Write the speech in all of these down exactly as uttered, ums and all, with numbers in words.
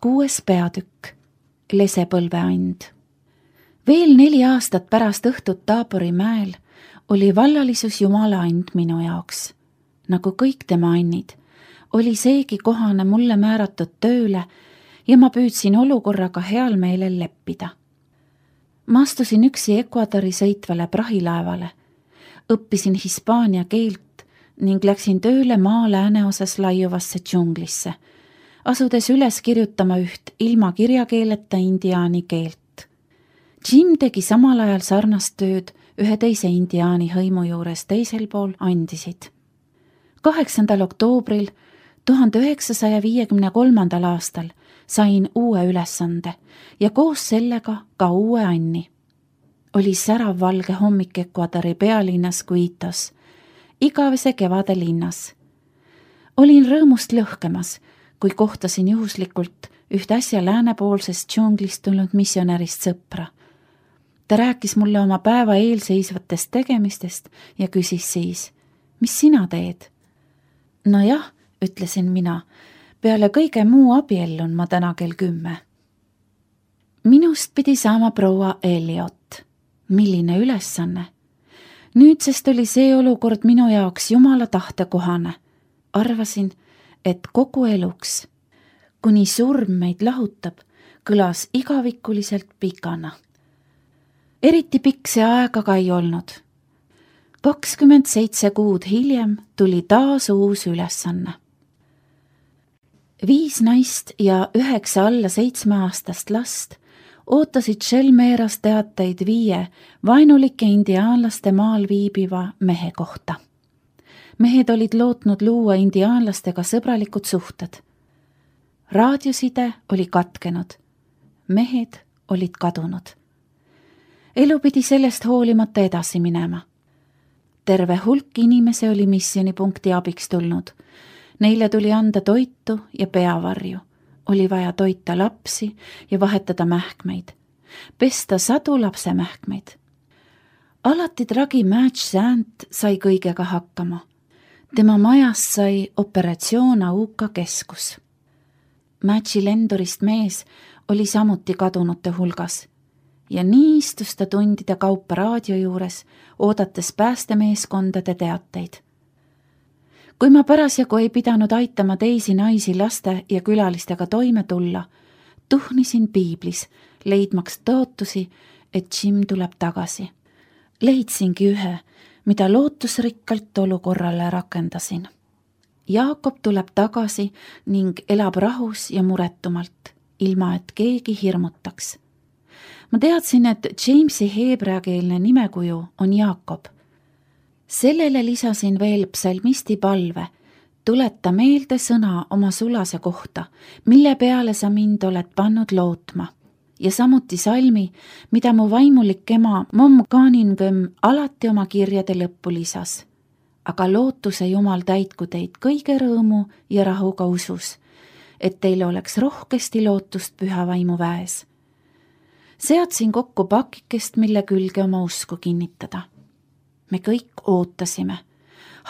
kuues peatükk, lesepõlveand. Veel neli aastat pärast õhtut Taabori mäel oli vallalisus Jumala and minu jaoks. Nagu kõik tema annid, oli seegi kohane mulle määratud tööle ja ma püüdsin olukorraga heal meelel leppida. Ma astusin üksi Ecuadori sõitvale prahilaevale, õppisin hispaania keelt ning läksin tööle maa lääneosas laiuvasse džunglisse, asudes üles kirjutama üht ilma kirjakeeleta indiaani keelt. Jim tegi samal ajal sarnast tööd ühe teise indiaani hõimu juures teisel pool andisid. kaheksandal oktoobril tuhande üheksasaja viiekümne kolmandal aastal sain uue ülesande ja koos sellega ka uue anni. Oli särav valge hommik Ecuadori pealinnas Quitos, igavese kevade linnas. Olin rõõmust lõhkemas, kui kohtasin juhuslikult üht äsja läänepoolsest džunglist tulnud missionärist sõpra. Ta rääkis mulle oma päeva eelseisvatest tegemistest ja küsis siis, mis sina teed? Nojah, ütlesin mina, peale kõige muu abiellun ma täna kell kümme. Minust pidi saama proua Elliot. Milline ülesanne? Nüüdsest oli see olukord minu jaoks Jumala tahte kohane. Arvasin, et kogu eluks, kuni surm meid lahutab, kõlas igavikuliselt pikana. Eriti pikk see aega ka ei olnud. kakskümmend seitse kuud hiljem tuli taas uus ülesanne. Viis naist ja üheksa alla seitsmeaastast last ootasid Shelmeras teateid viie vaenulike indiaanlaste maal viibiva mehe kohta. Mehed olid lootnud luua indiaanlastega sõbralikud suhted. Raadioside oli katkenud. Mehed olid kadunud. Elu pidi sellest hoolimata edasi minema. Terve hulk inimese oli missioonipunkti abiks tulnud. Neile tuli anda toitu ja peavarju. Oli vaja toita lapsi ja vahetada mähkmeid. Pesta sadu lapse mähkmeid. Alati tragi Match Sand sai kõigega hakkama. Tema majas sai operatsioon Auka keskus. Matchi lendurist mees oli samuti kadunute hulgas. Ja nii istus ta tundide kaupa raadio juures, oodates päästemeeskondade teateid. Kui ma parasjagu ei pidanud aitama teisi naisi laste ja külalistega toime tulla, tuhnisin piiblis, leidmaks tõotusi, et Jim tuleb tagasi. Leidsingi ühe, mida lootusrikkalt olukorrale rakendasin. Jaakob tuleb tagasi ning elab rahus ja muretumalt, ilma et keegi hirmutaks. Ma teadsin, et Jamesi heebreakeelne nimekuju on Jaakob. Sellele lisasin veel psalmisti palve, tuleta meelde sõna oma sulase kohta, mille peale sa mind oled pannud lootma. Ja samuti salmi, mida mu vaimulik ema Mom Kaningem alati oma kirjade lõppu lisas. Aga lootuse Jumal täitku teid kõige rõõmu ja rahuga usus, et teil oleks rohkesti lootust püha vaimu väes. Seadsin kokku pakikest, mille külge oma usku kinnitada. Me kõik ootasime,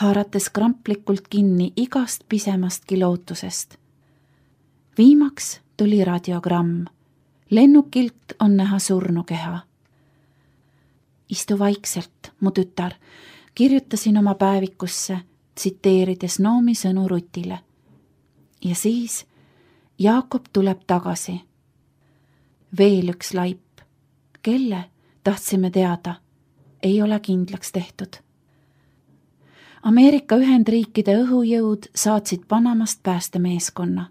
haarates kramplikult kinni igast pisemastki lootusest. Viimaks tuli radiogramm. Lennukilt on näha surnukeha. Istu vaikselt, mu tütar, kirjutasin oma päevikusse, tsiteerides Noomi sõnu Rutile. Ja siis Jaakob tuleb tagasi. Veel üks laip. Kelle, tahtsime teada, ei ole kindlaks tehtud. Ameerika Ühendriikide õhujõud saatsid Panamast päästemeeskonna.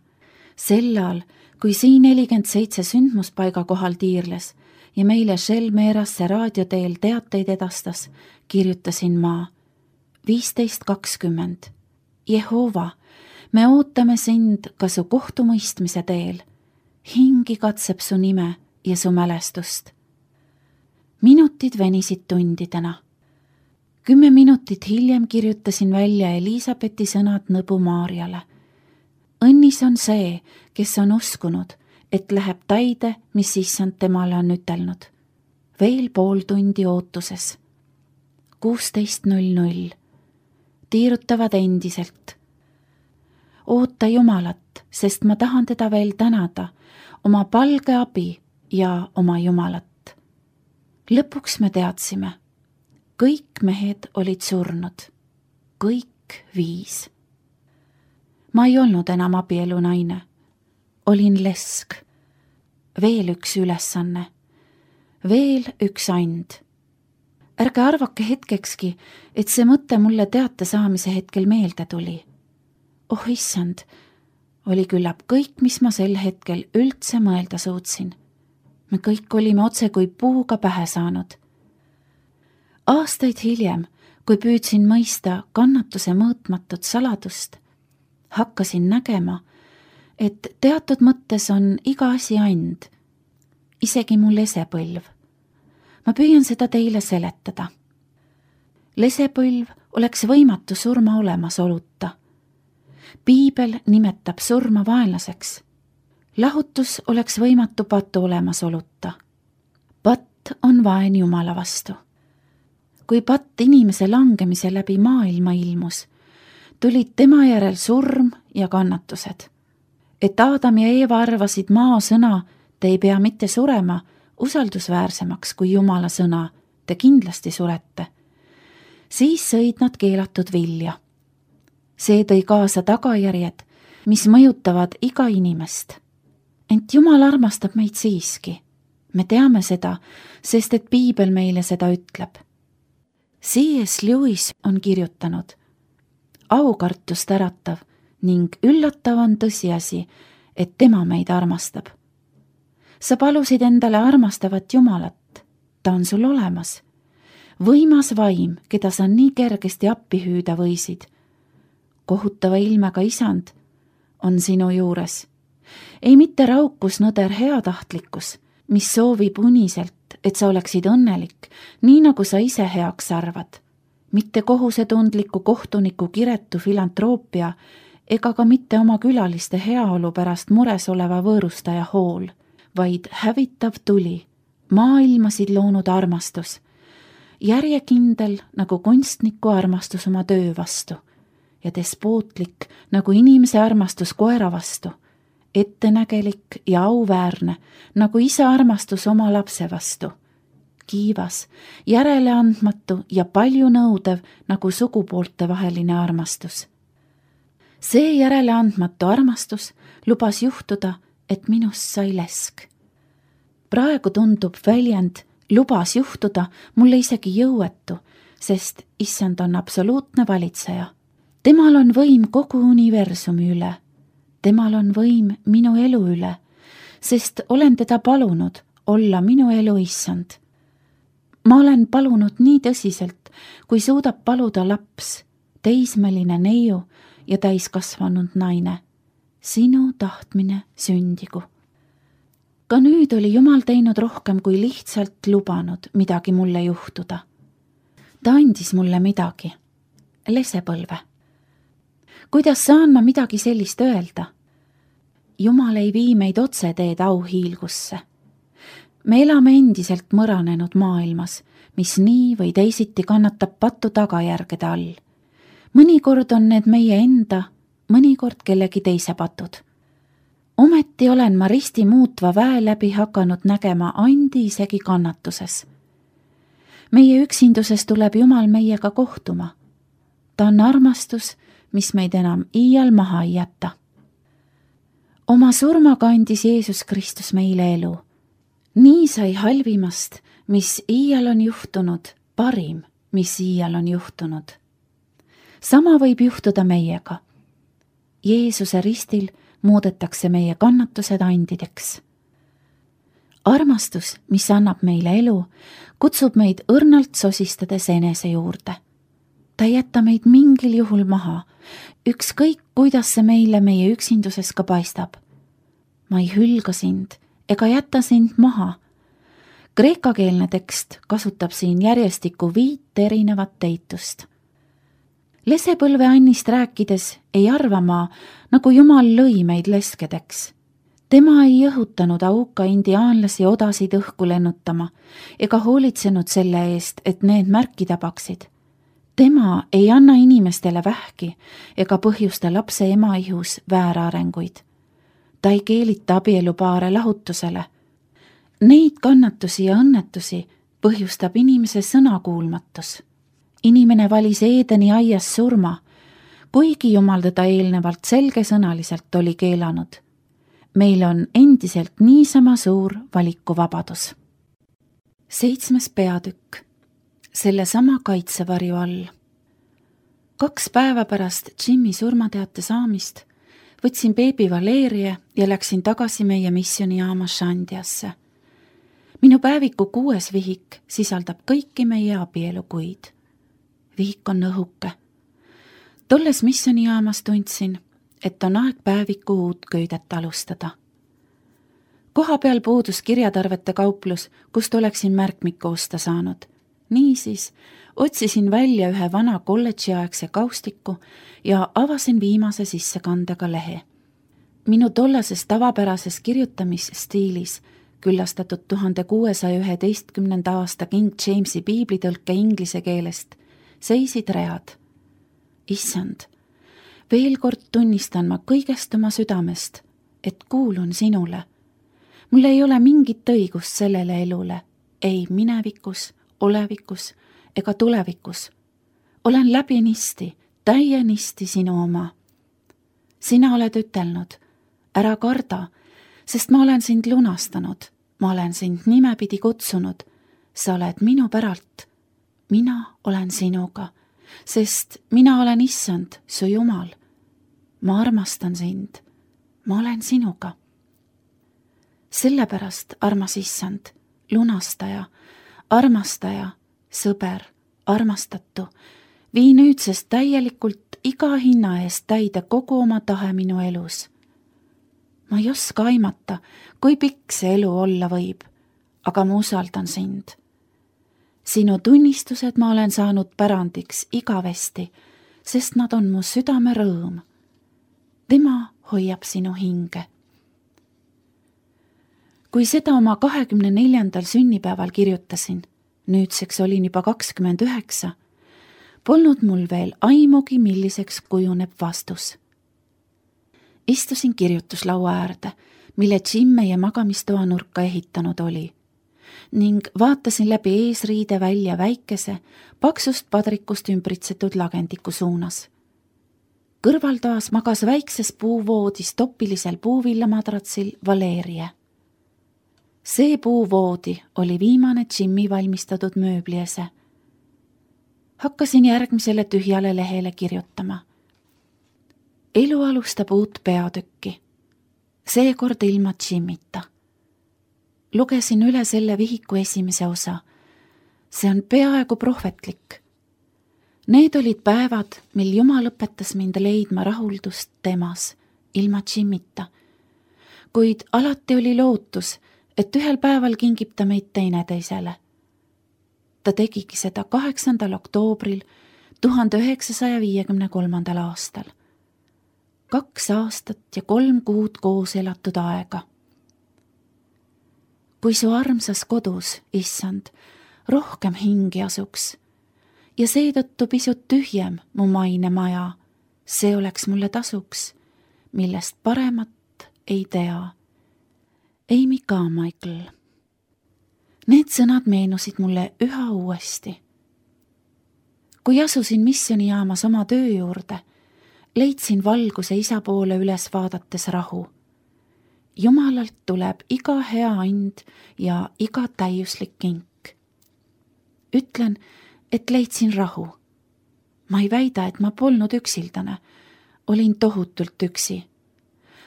Sellal, kui siin nelikümmend seitse sündmuspaiga kohal tiirles ja meile Shelmerasse raadioteel teateid edastas, kirjutasin ma viisteist kakskümmend. Jehova, me ootame sind ka su kohtumõistmise teel. Hingi katseb su nime ja su mälestust. Minutid venisid tundidena. Kümme minutit hiljem kirjutasin välja Elisabethi sõnad nõbu Maarjale. Õnnis on see, kes on uskunud, et läheb täide, mis issand temale on ütelnud. Veel pool tundi ootuses. kuusteist null null. Tiirutavad endiselt. oota Jumalat, sest ma tahan teda veel tänada, oma palge abi ja oma Jumalat. Lõpuks me teadsime, kõik mehed olid surnud, kõik viis. Ma ei olnud enam abielu naine, olin lesk. Veel üks ülesanne, veel üks and. Ärge arvake hetkekski, et see mõte mulle teate saamise hetkel meelde tuli. Oh issand, oli küllap kõik, mis ma sel hetkel üldse mõelda suutsin. Me kõik olime otse kui puuga pähe saanud. Aastaid hiljem, kui püüdsin mõista kannatuse mõõtmatut saladust, hakkasin nägema, et teatud mõttes on iga asi and, isegi mu lesepõlv. Ma püüan seda teile seletada. Lesepõlv oleks võimatu surma olemasoluta. Piibel nimetab surma vaenlaseks. Lahutus oleks võimatu patu olemasoluta. Patt on vaen Jumala vastu. Kui patt inimese langemise läbi maailma ilmus, tulid tema järel surm ja kannatused. Et Aadam ja Eeva arvasid maa sõna, te ei pea mitte surema, usaldusväärsemaks kui Jumala sõna, te kindlasti surete. Siis sõid nad keelatud vilja. See tõi kaasa tagajärjed, mis mõjutavad iga inimest. Ent Jumal armastab meid siiski. Me teame seda, sest et Piibel meile seda ütleb. C S Lewis on kirjutanud, aukartust äratav ning üllatav on tõsiasi, et tema meid armastab. Sa palusid endale armastavat Jumalat, ta on sul olemas. Võimas vaim, keda sa nii kergesti appi hüüda võisid. Kohutava ilmega isand on sinu juures. Ei mitte raukus nõder heatahtlikkus, mis soovib uniselt, et sa oleksid õnnelik, nii nagu sa ise heaks arvad. Mitte kohusetundliku kohtuniku kiretu filantroopia ega ka mitte oma külaliste heaolu pärast mures oleva võõrustaja hool, vaid hävitav tuli, maailmasid loonud armastus, järjekindel nagu kunstniku armastus oma töö vastu ja despootlik nagu inimese armastus koera vastu, ettenägelik ja auväärne nagu isa armastus oma lapse vastu, kiivas, järeleandmatu ja palju nõudev nagu sugupoolte vaheline armastus. See järeleandmatu armastus lubas juhtuda, et minust sai lesk. Praegu tundub väljend lubas juhtuda mulle isegi jõuetu, sest issand on absoluutne valitseja. Temal on võim kogu universumi üle. Temal on võim minu elu üle, sest olen teda palunud olla minu elu issand. Ma olen palunud nii tõsiselt, kui suudab paluda laps, teismeline neiu ja täiskasvanud naine. Sinu tahtmine sündigu. Ka nüüd oli Jumal teinud rohkem kui lihtsalt lubanud midagi mulle juhtuda. Ta andis mulle midagi. Lesepõlve. Kuidas saan ma midagi sellist öelda? Jumal ei vii meid otse teed auhiilgusse. Me elame endiselt mõranenud maailmas, mis nii või teisiti kannatab patu tagajärgede all. Mõnikord on need meie enda, mõnikord kellegi teise patud. Ometi olen ma risti muutva väe läbi hakanud nägema andi isegi kannatuses. Meie üksinduses tuleb Jumal meiega kohtuma. Ta on armastus, mis meid enam iial maha ei jäta. Oma surmaga andis Jeesus Kristus meile elu. Nii sai halvimast, mis iial on juhtunud, parim, mis iial on juhtunud. Sama võib juhtuda meiega. Jeesuse ristil muudetakse meie kannatused andideks. Armastus, mis annab meile elu, kutsub meid õrnalt sosistades enese juurde. Ta ei jäta meid mingil juhul maha, ükskõik kuidas see meile meie üksinduses ka paistab. Ma ei hülga sind ega jäta sind maha. Kreekakeelne tekst kasutab siin järjestikku viit erinevat teitust. Lesepõlve annist rääkides ei arva ma, nagu Jumal lõi meid leskedeks. Tema ei õhutanud auka indiaanlasi odasid õhku lennutama ega hoolitsenud selle eest, et need märki tabaksid. tema ei anna inimestele vähki ega põhjusta lapse ema ihus väärarenguid. Ta ei keelita abielupaare lahutusele. Neid kannatusi ja õnnetusi põhjustab inimese sõnakuulmatus. Inimene valis Eedeni aias surma, kuigi Jumal teda eelnevalt selgesõnaliselt oli keelanud. Meil on endiselt niisama suur valikuvabadus. Seitsmes peatükk. Sellesama kaitsevarju all. Kaks päeva pärast Jimmy surmateate saamist võtsin beebi Valerie ja läksin tagasi meie missioonijaama Shandiasse. Minu päeviku kuues vihik sisaldab kõiki meie abielukuid. Vihik on õhuke. Tolles missioonijaamas tundsin, et on aeg päeviku uut köidet alustada. Koha peal puudus kirjatarvete kauplus, kust oleksin märkmikku osta saanud. Niisiis otsisin välja ühe vana kolledžiaegse kaustiku ja avasin viimase sissekandega lehe. Minu tollases tavapärases kirjutamisstiilis, küllastatud tuhande kuuesaja üheteistkümnenda aasta King Jamesi piiblitõlke inglise keelest, seisid read. Issand, veel kord tunnistan ma kõigest oma südamest, et kuulun sinule. Mul ei ole mingit õigust sellele elule, ei minevikus, olevikus ega tulevikus. Olen läbinisti, täienisti sinu oma. Sina oled ütelnud, ära karda, sest ma olen sind lunastanud, ma olen sind nimepidi kutsunud, sa oled minu päralt, mina olen sinuga, sest mina olen Issand, su Jumal. Ma armastan sind, ma olen sinuga. Sellepärast, armas Issand, lunastaja, armastaja, sõber, armastatu, vii nüüdsest täielikult iga hinna eest täide kogu oma tahe minu elus. Ma ei oska aimata, kui pikk see elu olla võib, aga ma usaldan sind. Sinu tunnistused ma olen saanud pärandiks igavesti, sest nad on mu südame rõõm. Tema hoiab sinu hinge. Kui seda oma kahekümne neljandal sünnipäeval kirjutasin, nüüdseks olin juba kakskümmend üheksa, polnud mul veel aimugi, milliseks kujuneb vastus. Istusin kirjutuslaua äärde, mille Jim meie magamistoa nurka ehitanud oli, ning vaatasin läbi eesriide välja väikese, paksust padrikust ümbritsetud lagendiku suunas. Kõrvaltoas magas väikses puuvoodis topilisel puuvillamadratsil Valerie. See puuvoodi oli viimane Jimmy valmistatud mööbliese. Hakkasin järgmisele tühjale lehele kirjutama. Elu alustab uut peatükki. Seekord ilma Jimmita. Lugesin üle selle vihiku esimese osa. See on peaaegu prohvetlik. Need olid päevad, mil Jumal õpetas mind leidma rahuldust temas, ilma Jimmita. Kuid alati oli lootus, et ühel päeval kingib ta meid teineteisele. Ta tegigi seda kaheksandal oktoobril tuhande üheksasaja viiekümne kolmandal aastal. Kaks aastat ja kolm kuud koos elatud aega. Kui su armsas kodus, Issand, rohkem hingi asuks ja seetõttu pisut tühjem mu maine maja, see oleks mulle tasuks, millest paremat ei tea. Amy Carmichael. Need sõnad meenusid mulle üha uuesti. Kui asusin missionijaamas oma töö juurde, leidsin valguse isa poole üles vaadates rahu. Jumalalt tuleb iga hea and ja iga täiuslik kink. Ütlen, et leidsin rahu. Ma ei väida, et ma polnud üksildane. Olin tohutult üksi.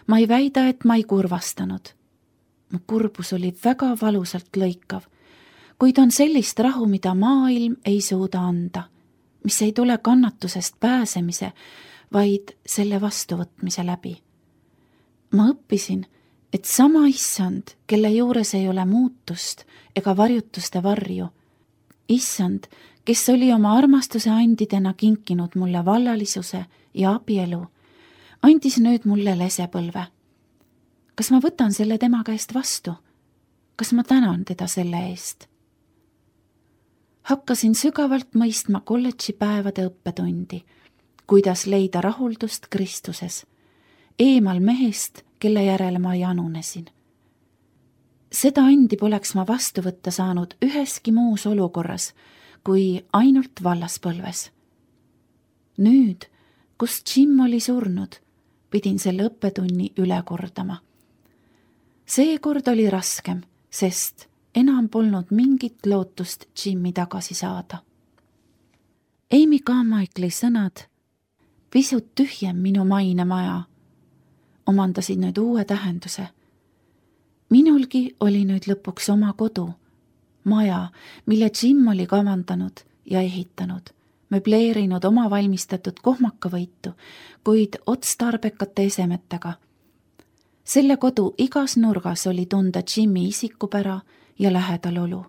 Ma ei väida, et ma ei kurvastanud. Mu kurbus oli väga valusalt lõikav, kuid on sellist rahu, mida maailm ei suuda anda, mis ei tule kannatusest pääsemise, vaid selle vastuvõtmise läbi. Ma õppisin, et sama Issand, kelle juures ei ole muutust ega varjutuste varju, Issand, kes oli oma armastuse andidena kinkinud mulle vallalisuse ja abielu, andis nüüd mulle lesepõlve. Kas ma võtan selle tema käest vastu? Kas ma tänan teda selle eest? Hakkasin sügavalt mõistma kolledži päevade õppetundi, kuidas leida rahuldust Kristuses, eemal mehest, kelle järele ma janunesin. Seda andi poleks ma vastu võtta saanud üheski muus olukorras, kui ainult vallaspõlves. Nüüd, kus Jim oli surnud, pidin selle õppetunni üle kordama. Seekord oli raskem, sest enam polnud mingit lootust Jimmi tagasi saada. Amy Carmichaeli sõnad, pisut tühjem minu mainemaja, omandasid nüüd uue tähenduse. Minulgi oli nüüd lõpuks oma kodu, maja, mille Jim oli kavandanud ja ehitanud, möbleerinud oma valmistatud kohmakavõitu, kuid otstarbekate esemetega. Selle kodu igas nurgas oli tunda Jimmi isikupära ja lähedalolu.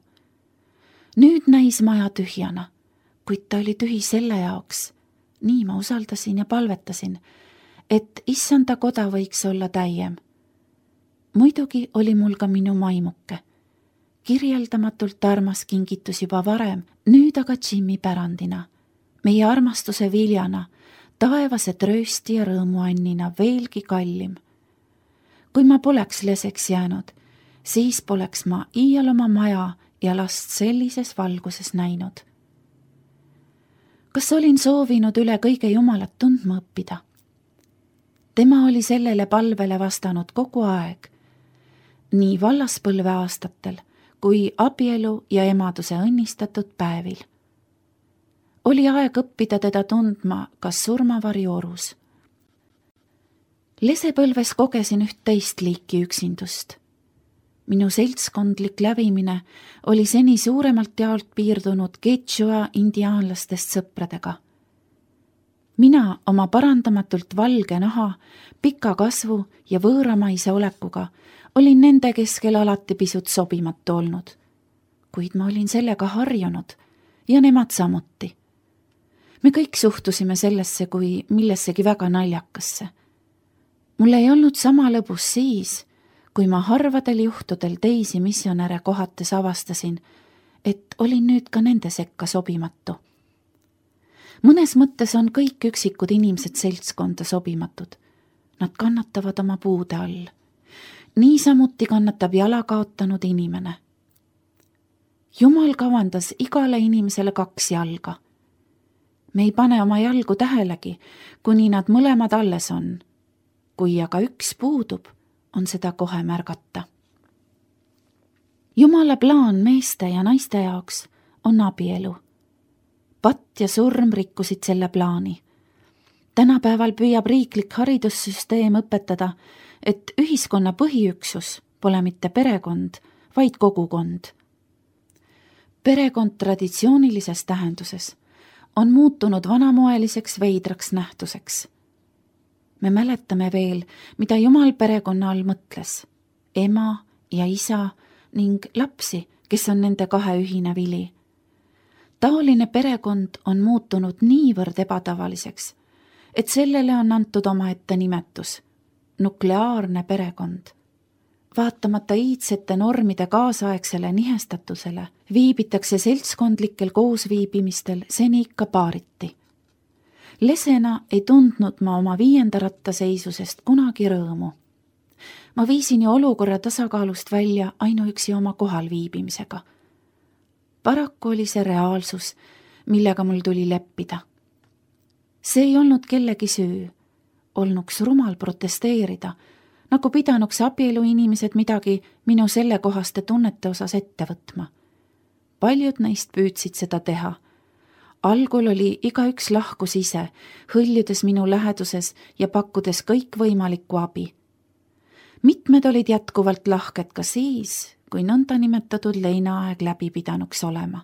Nüüd näis maja tühjana, kuid ta oli tühi selle jaoks. Nii ma usaldasin ja palvetasin, et issanda koda võiks olla täiem. Muidugi oli mul ka minu maimuke. Kirjeldamatult armas kingitus juba varem, nüüd aga Jimmi pärandina, meie armastuse viljana, taevase tröösti ja rõõmuannina veelgi kallim. Kui ma poleks leseks jäänud, siis poleks ma iial oma maja ja last sellises valguses näinud. Kas olin soovinud üle kõige Jumalat tundma õppida? Tema oli sellele palvele vastanud kogu aeg, nii vallaspõlve aastatel kui abielu ja emaduse õnnistatud päevil. Oli aeg õppida teda tundma kas surmavarjuorus. Lesepõlves kogesin üht teist liiki üksindust. Minu seltskondlik lävimine oli seni suuremalt jaolt piirdunud Quechua indiaanlastest sõpradega. Mina oma parandamatult valge naha, pika kasvu ja võõramaise olekuga olin nende keskel alati pisut sobimatu olnud, kuid ma olin sellega harjunud ja nemad samuti. Me kõik suhtusime sellesse kui millessegi väga naljakasse. Mul ei olnud sama lõbus siis, kui ma harvadel juhtudel teisi missionäre kohates avastasin, et olin nüüd ka nende sekka sobimatu. Mõnes mõttes on kõik üksikud inimesed seltskonda sobimatud. Nad kannatavad oma puude all. Niisamuti kannatab jala kaotanud inimene. Jumal kavandas igale inimesele kaks jalga. Me ei pane oma jalgu tähelegi, kuni nad mõlemad alles on. Kui aga üks puudub, on seda kohe märgata. Jumala plaan meeste ja naiste jaoks on abielu. Patt ja surm rikkusid selle plaani. Tänapäeval püüab riiklik haridussüsteem õpetada, et ühiskonna põhiüksus pole mitte perekond, vaid kogukond. Perekond traditsioonilises tähenduses on muutunud vanamoeliseks veidraks nähtuseks. Me mäletame veel, mida Jumal perekonna all mõtles. Ema ja isa ning lapsi, kes on nende kahe ühine vili. Taoline perekond on muutunud niivõrd ebatavaliseks, et sellele on antud omaette nimetus, nukleaarne perekond. Vaatamata iidsete normide kaasaegsele nihestatusele viibitakse seltskondlikel koosviibimistel seni ikka paariti. Lesena ei tundnud ma oma viienda rattaseisusest kunagi rõõmu. Ma viisin ju olukorra tasakaalust välja ainuüksi oma kohal viibimisega. Paraku oli see reaalsus, millega mul tuli leppida. See ei olnud kellegi süü, olnuks rumal protesteerida, nagu pidanuks abielu inimesed midagi minu sellekohaste tunnete osas ette võtma. Paljud neist püüdsid seda teha. Algul oli igaüks lahkus ise, hõljudes minu läheduses ja pakkudes kõik võimalikku abi. Mitmed olid jätkuvalt lahked ka siis, kui nõnda nimetatud leinaaeg läbi pidanuks olema.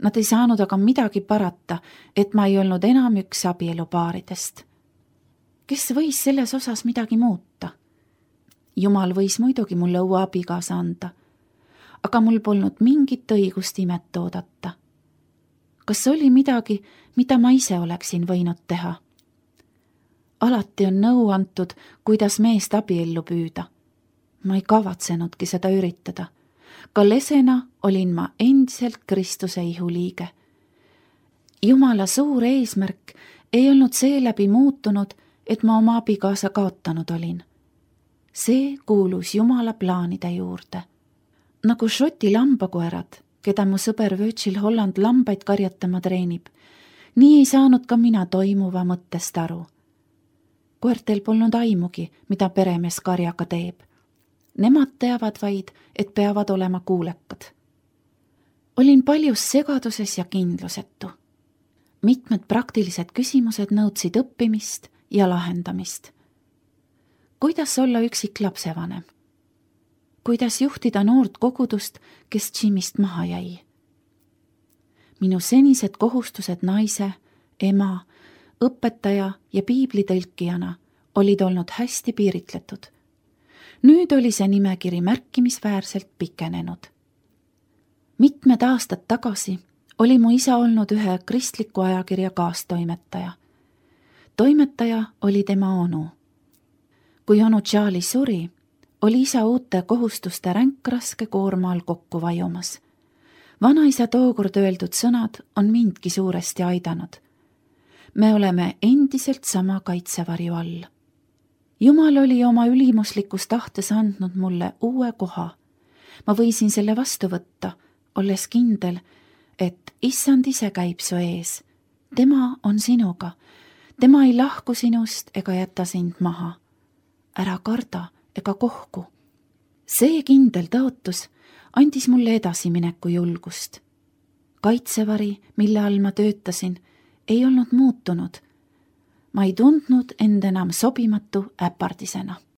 Nad ei saanud aga midagi parata, et ma ei olnud enam üks abielupaaridest. Kes võis selles osas midagi muuta? Jumal võis muidugi mulle uue abikaasa anda, aga mul polnud mingit õigust imet oodata. Kas oli midagi, mida ma ise oleksin võinud teha? Alati on nõu antud, kuidas meest abiellu püüda. Ma ei kavatsenudki seda üritada. ka lesena olin ma endiselt Kristuse ihuliige. Jumala suur eesmärk ei olnud seeläbi muutunud, et ma oma abikaasa kaotanud olin. See kuulus Jumala plaanide juurde. Nagu Šoti lambakoerad, keda mu sõber Virgil Holland lambaid karjatama treenib, nii ei saanud ka mina toimuva mõttest aru. Koertel polnud aimugi, mida peremees karjaga teeb. Nemad teavad vaid, et peavad olema kuulekad. Olin paljus segaduses ja kindlusetu. Mitmed praktilised küsimused nõudsid õppimist ja lahendamist. Kuidas olla üksik lapsevanem? Kuidas juhtida noort kogudust, kes Jimist maha jäi? Minu senised kohustused naise, ema, õpetaja ja piiblitõlkijana olid olnud hästi piiritletud. Nüüd oli see nimekiri märkimisväärselt pikenenud. Mitmed aastad tagasi oli mu isa olnud ühe kristliku ajakirja kaastoimetaja. Toimetaja oli tema onu. Kui onu Charlie suri, oli isa uute kohustuste ränk raske koorma all kokku vajumas. Vanaisa tookord öeldud sõnad on mindki suuresti aidanud. Me oleme endiselt sama kaitsevarju all. Jumal oli oma ülimuslikus tahtes andnud mulle uue koha. Ma võisin selle vastu võtta, olles kindel, et issand ise käib su ees. Tema on sinuga. Tema ei lahku sinust ega jäta sind maha. Ära karda ega kohku. See kindel tõotus andis mulle edasimineku julgust. Kaitsevari, mille all ma töötasin, ei olnud muutunud. Ma ei tundnud end enam sobimatu äpardisena.